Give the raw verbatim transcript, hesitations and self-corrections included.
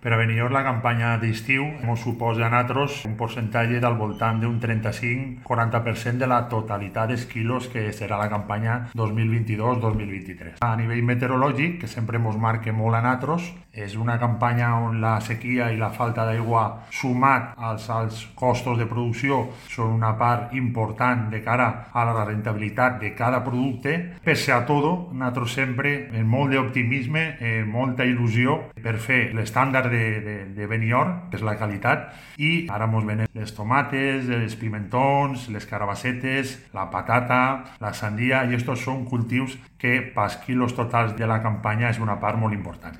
Per a Benidorm la campanya d'estiu ens suposa a nosaltres un percentatge del voltant d'un trenta-cinc a quaranta per cent de la totalitat dels quilos que serà la campanya dos mil vint-i-dos dos mil vint-i-tres. A nivell meteorològic, que sempre ens marca molt a nosaltres, és una campanya on la sequia i la falta d'aigua sumat als alts costos de producció són una part important de cara a la rentabilitat de cada producte. Pese a tot, nosaltres sempre amb molt d'optimisme, eh, molta il·lusió per fer l'estàndard de, de, de Benidorm, que és la qualitat, i ara ens venen les tomates, els pimentons, les carabassetes, la patata, la sandia, i estos són cultius que pels quilos totals de la campanya és una part molt important.